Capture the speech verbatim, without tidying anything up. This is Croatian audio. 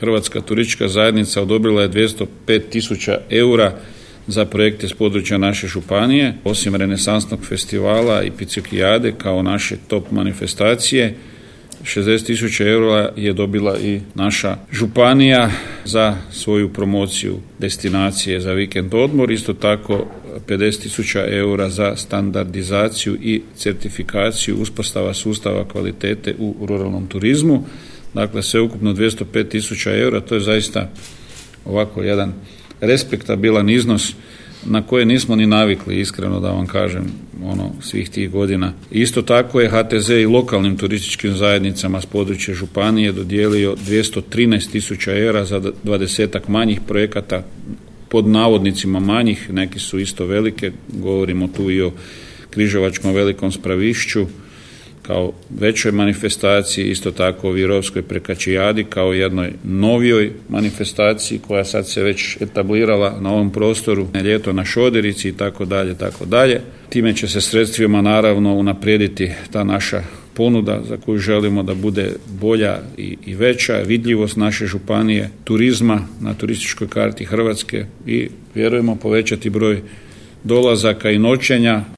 Hrvatska turistička zajednica odobrila je dvjesto pet tisuća eura za projekte s područja naše županije. Osim renesansnog festivala i Picikijade kao naše top manifestacije, šezdeset tisuća eura je dobila i naša županija za svoju promociju destinacije za vikend odmor. Isto tako pedeset tisuća eura za standardizaciju i certifikaciju uspostava sustava kvalitete u ruralnom turizmu. Dakle, sveukupno dvjesto pet tisuća eura, to je zaista ovako jedan respektabilan iznos na koje nismo ni navikli, iskreno da vam kažem, ono, svih tih godina. Isto tako je H T Z i lokalnim turističkim zajednicama s područja županije dodijelio dvjesto trinaest tisuća eura za dvadesetak manjih projekata, pod navodnicima manjih, neki su isto velike, govorimo tu i o Križevačkom velikom spravišću kao većoj manifestaciji, isto tako o Virovskoj prekačijadi kao jednoj novijoj manifestaciji koja sad se već etablirala na ovom prostoru, ljeto na Šoderici i tako dalje, tako dalje. Time će se sredstvima naravno unaprijediti ta naša ponuda za koju želimo da bude bolja i, i veća, vidljivost naše županije, turizma na turističkoj karti Hrvatske i vjerujemo povećati broj dolazaka i noćenja.